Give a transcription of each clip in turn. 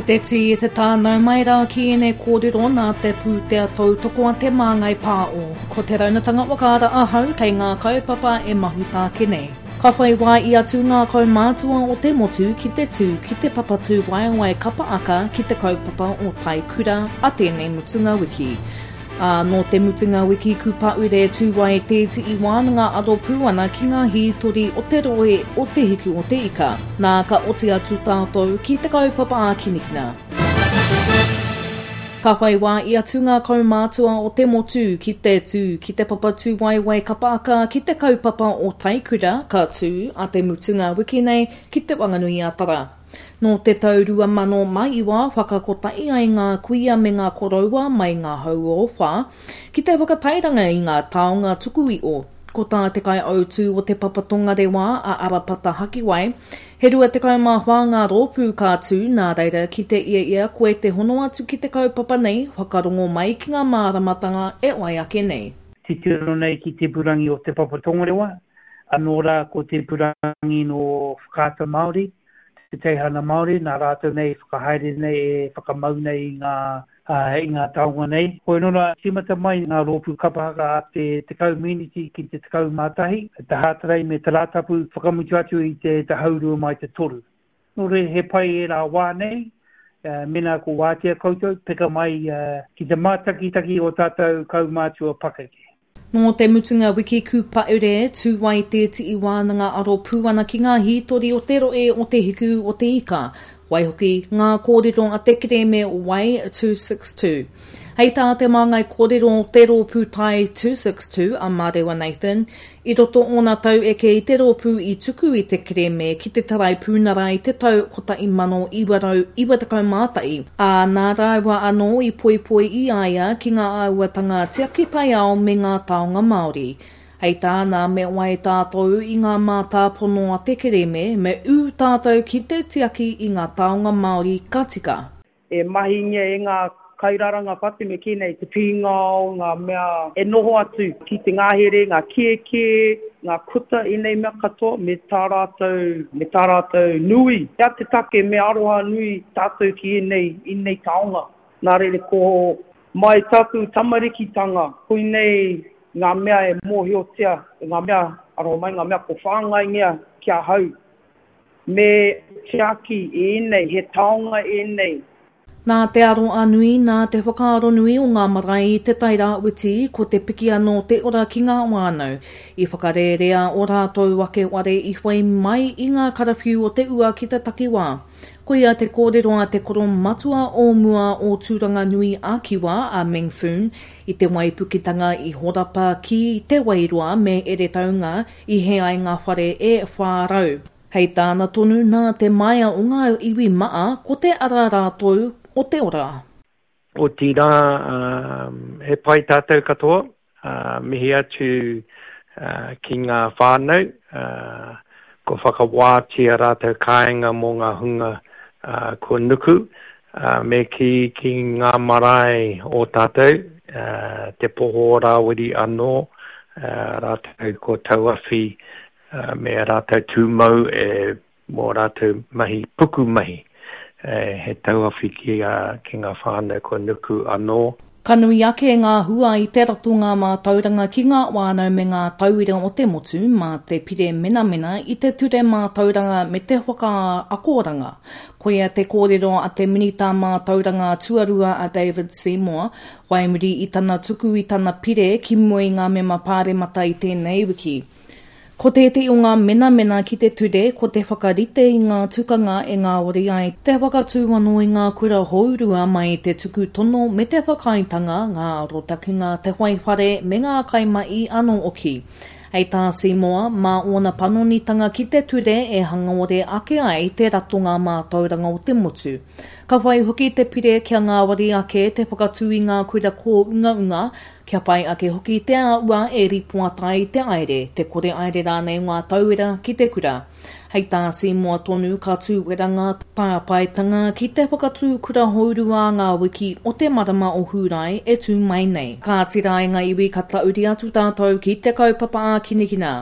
te tī e te tā, nau mai rā ki ēnei kōrero nā te pūtea tautoko a Te Māngai Pāo. Ko Te Raunatanga Whakaara ahau kei ngā kaupapa e mahuta ake nei. Ka whai wā i atu ngā kaumātua o te motu ki te tū ki te papatū waewae kapa aka ki te kaupapa o Taikura a tēnei mutunga wiki. Ā, nō te mutunga wiki kūpaure tū ai te tii wānanga aro pū ana ki ngā hītori o te rohe o Te Hiku o Te Ika. Nā, ka oti atu tātou ki te kaupapa ākinikina. Ka whai wā i atu ngā kaumātua o te motu ki te tū ki te papa tūwaewae kapa aka ki te kaupapa o Taikura ka tū a te mutunga wiki nei ki Te Wanganui-a-Tara. Nō te tau 2009 whakakotahi ai ngā kuia me ngā koroua mai ngā hau o Whā ki te whakatairanga i ngā taonga tuku iho. Ko tā te kaiautū o Te Papa Tongarewa a Arapata Hakiwai, he 24 ngā rōpū ka tū, nā reira ki te ia ia koe te hono atu ki te kaupapa nei, whakarongo mai ki ngā māramatanga e wai ake nei. Titiro nei ki te ipurangi o Te Papa Tongarewa, anō rā ko te ipurangi nō Whakaata Māori, te teihana Māori, nā rātou nei i whakahaere nei, e whakamau nei i ngā, i ngā taonga nei. Hoi nō rā, tīmata mai ngā rōpū kapa haka a te 10 miniti ki te 11, te Hātarei me te Rātapu, whakamutu atu i te te haurua mai te toru. Nō reira, he pai ērā wā nei, mēnā ko wātea koutou, peka mai ki te mātakitaki o tātou kaumātua pakeke. Nō te mutunga wiki kūpaure, tū ai te tii wānanga aro pū ana ki ngā hītori o te rohe o Te Hiku o Te Ika, waihoki, ngā kōrero a te kerēme Wai 262. Hei tā te māngai kōrero o te rōpū Tai 262 a Mārewa Nathan, I roto ōna tau eke i te rōpū i tuku i te kerēme ki te Taraipunara i te tau 1991, ā, nā rāua anō i poipoi i a ia ki ngā āhuatanga tiaki taiao me ngā taonga Māori. Hei tāna, me wai tātou i ngā mātāpono a te kerēme, me ū tātou ki te tiaki i ngā taonga Māori ka tika. E mahingia e ngā kairaranga whatu me kī nei te pīngao, ngā mea e noho atu ki te ngahere, ngā kēkē, ngā kuta, ēnei mea katoa me tā rātou, me tā rātou nui. He aha te take me aroha nui tātou ki ēnei, ēnei taonga? Nā reira ko mai tāku tamarikitanga, koinei ngā mea e mōhiotia, ngā mea, aroha mai, ngā mea ko whāngaingia ki ahau. Me tiaki ēnei, he taonga ēnei. Nā te aroa nui, nā te whakaaro nui o ngā marae i Te Tai Rāwhiti, ko te piki anō te ora ki ngā whānau. I whakarērea ō rātou ake ware i whai mai i ngā karawhiu o te ua ki te takiwā. Koia te kōrero a te koro matua o mua o Tūranganui a Kiwa, a Meng Foon, i te waipuketanga i horapa ki Te Wairoa me Eretaunga I hē ai ngā whare e 400. Hei tāna tonu, nā te maea o ngā iwi maa, ko te ara rātou o te ora. Otirā, he pai tātou katoa, mihi atu ki ngā whānau, kua whakawātia rātou kāinga mō ngā hunga kua nuku, me kī ki ngā marae o tātou, Te Poho o Rāwiri anō, rātou ko Tauawhi me ā rātou tūmau e mō rātou mahi pukumahi, he tauawhi ki ngā whānau kua nuku anō. Ka nui ake ngā hua i te ratonga mātauranga ki ngā whānau me ngā tauira o te motu mā te pire menamena i te ture mātauranga me te whakaakoranga. Koia te kōrero a te Minita Mātauranga Tuarua a David Seymour, whai muri i tana tuku i tana pire ki mua i ngā mema pāremata i tēnei wiki. Ko tētehi o ngā menamena ki te ture ko te whakarite i ngā tukanga e ngāwari ai te whakatū anō i ngā kura hourua mai i te tuku tono me te whakaaetanga, ngā arotakenga, te whai whare me ngā kaimahi anō hoki. Hei tā Seymour, mā ōna panonitanga ki te ture e hangaore ake ai te ratonga mātauranga o te motu. Ka whai hoki te pire kia ngāwari ake te whakatū i ngā kura kōungaunga, Kia pai ake hoki te āhua e ripoata ai te aere, te kore aere rānei o ngā tauira ki te kura. Hei tā Seymour tonu ka tūwera ngā tāpaetanga ki te whakatū kura hourua ngā wiki o te marama o Hūrae e tū mai nei. Kāti rā e ngā iwi ka tauri atu tātou ki te kaupapa ākinikina.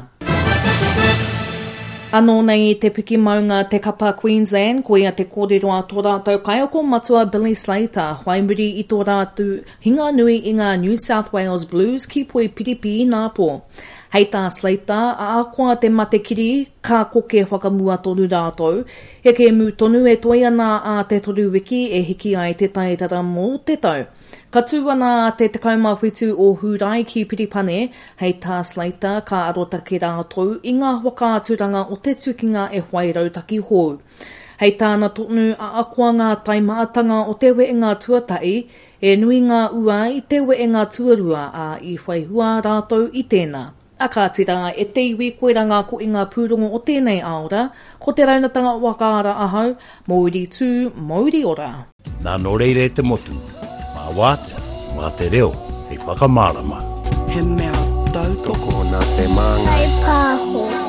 Anō nei i te piki maunga te kapa Queensland, koia te kōrero a tō rātou kaiako matua Billy Slater, whai muri i tō rātou hinga nui i ngā New South Wales Blues ki Poipiripi inapō. Hei tā Slater, ahakoa te matekiri, ka koke whakamua tonu rātou, he kēmu tonu e toe ana ā te toru wiki e hiki ai te taitara mō te tau. Ka tū ana te 17 o Hūrae ki Piripane, hei tā Slater ka arotake rātou i ngā whakaaturanga o te tukinga e whai rautaki hou. Hei tāna tonu, ahakoa ngā taimahatanga o te wehenga tuatahi, he nui ngā ua i te wehenga tuarua, ā, i whai hua rātou i tēnā. A kāti rā, e te iwi, koirā ngā kohinga pūrongo o tēnei aora, ko Te Raunatanga Whakaara ahau, Mouri tū, mouri ora. Nā nō reira e te motu, mā wātea, mā te reo hei whakamārama. He mea tautoko. Tokona te māngai. Whai pāho.